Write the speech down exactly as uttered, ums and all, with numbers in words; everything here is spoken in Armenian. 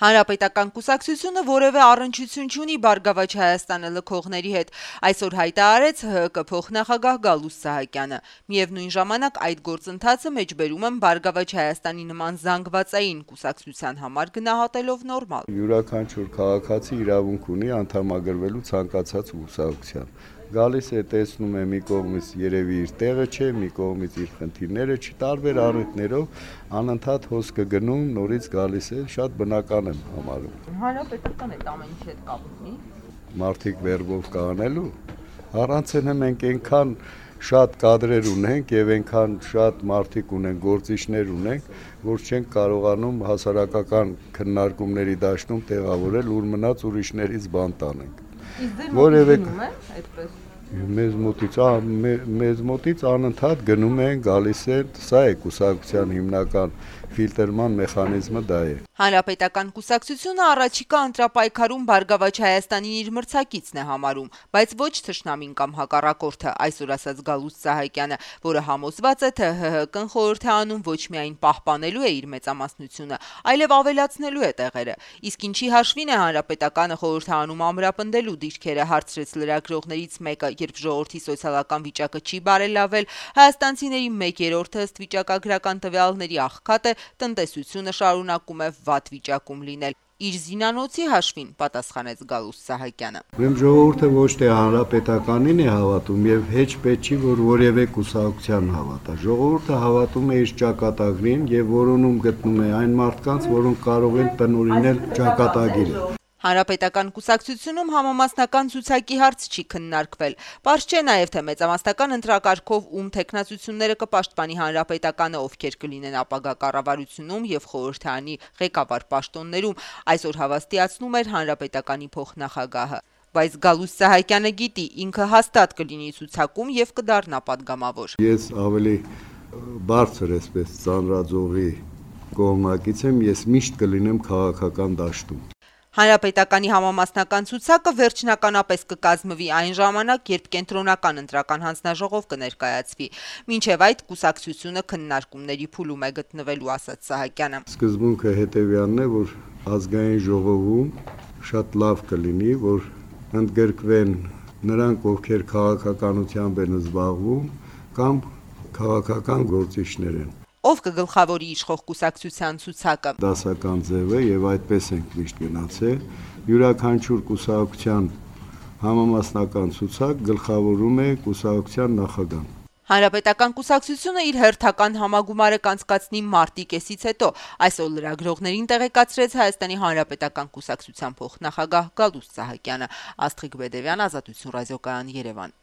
Հանրապետական կուսակցությունը որևէ առնչություն չունի Բարգավաճ Հայաստանը լքողների հետ, այսօր հայտարարեց ՀՀԿ փոխնախագահ Գալուստ Սահակյանը։ Միևնույն ժամանակ այդ գործընթացը մեջբերում են Բարգավաճ Հայաստանի նման զանգվածային կուսակցության համար գնահատելով նորմալ։ Յուրաքանչյուր քաղաքացի իրավունք ունի անդամագրվելու ցանկացած կուսակցության։ Գալիս է, տեսնում է մի կողմից երևի իր տեղը չէ, մի կողմից իր խնդիրները չի, տարբեր առիթներով անընդհատ հոսքը գնում, նորից գալիս է, շատ բնական եմ համարում։ Հանրապետական այդ ամեն ինչի հետ կապ ունի։ Մարդիկ վերբով կանելու, առանց են մենք այնքան շատ կադրեր ունենք եւ այնքան շատ մարդիկ ունենք, գործիչներ ունենք, որ չենք կարողանում հասարակական քննարկումների դաշտում տեղավորել, ուր մնաց ուրիշներից բան տանենք։ Որևէ այդպես Մեզ մոտից, մեզ մոտից անընդհատ գնում են, գալիս են, սա է կուսակցության հիմնական ֆիլտրման մեխանիզմը դա է։ Հանրապետական կուսակցությունը առաջիկա ընտրապայքարում Բարգավաճ Հայաստանին իր մրցակիցն է համարում, բայց ոչ թշնամին կամ հակառակորդը, այսօր ասաց Գալուստ Սահակյանը, որը համոզված է, թե ՀՀԿ-ն խորհուրդ է անում ոչ միայն պահպանելու է իր մեծամասնությունը, այլև ավելացնելու է տեղերը։ Իսկ ինչի հաշվին է Հանրապետականը խորհուրդ է անում ամրապնդելու դիրքերը, հարցրեց լրագրողներից մեկը, երբ ժողովրդի սոցիալական վիճակը չի բարելավել, հայաստանցիների մեկ երրորդը ըստ վիճակագրական տվյալների աղքատ է, տնտեսությունը շարունակում է վատ վիճակում լինել։ Իր զինանոցի հաշվին պատասխանեց Գալուստ Սահակյանը։ Ուրեմն ժողովուրդը ոչ թե հանրապետականին է հավատում եւ հեչ պետք չի որ որևէ կուսակցության հավատա։ Ժողովուրդը հավատում է իր ճակատագրին եւ որոնում գտնում է այն մարդկանց, որոնք կարող են տնօրինել ճակատագիրը։ Հանրապետական կուսակցությունում համամասնական ցուցակի հարց չի քննարկվել։ Պարզ չէ նաև, թե մեծամասնական ընտրակարգով ում թեկնածությունները կպաշտպանի Հանրապետականը, ովքեր կլինեն ապագա կառավարությունում եւ խորհրդարանի ղեկավար պաշտոններում, այսօր հավաստիացնում էր Հանրապետականի փոխնախագահը։ Բայց Գալուստ Սահակյանը գիտի, ինքը հաստատ կլինի ցուցակում եւ կդառնա падգամավոր։ Ես ավելի բարձր էսպես ծանրաձողի կողմնակից եմ, ես միշտ կլինեմ քաղաքական դաշտում։ Հանրապետականի համամասնական ցուցակը վերջնականապես կկազմվի այն ժամանակ, երբ կենտրոնական ընտրական հանձնաժողով կներկայացվի։ Մինչև այդ կուսակցությունը քննարկումների փուլում է գտնվելու, ասաց Սահակյանը։ Սկզբունքը հետևյալն է, որ ազգային ժողովում շատ լավ կլինի, որ ընդգրկվեն նրանք, ովքեր քաղաքականությամբ են զբաղվում կամ քաղաքական գործիչներ են։ Ով կգլխավորի իշխող կուսակցության ցուցակը։ Դասական ձև է եւ այդպես ենք միշտ գնացել։ Յուրաքանչյուր կուսակցության համամասնական ցուցակ գլխավորում է կուսակցության նախագահան։ Հանրապետական կուսակցությունը իր հերթական համագումարը կանցկացնի մարտի կեսից հետո, այսօր լրագրողներին տեղեկացրեց Հայաստանի Հանրապետական կուսակցության փոխնախագահ Գալուստ Սահակյանը։ Աստղիկ Բեդևյան, Ազատություն ռադիոկայան, Երևան։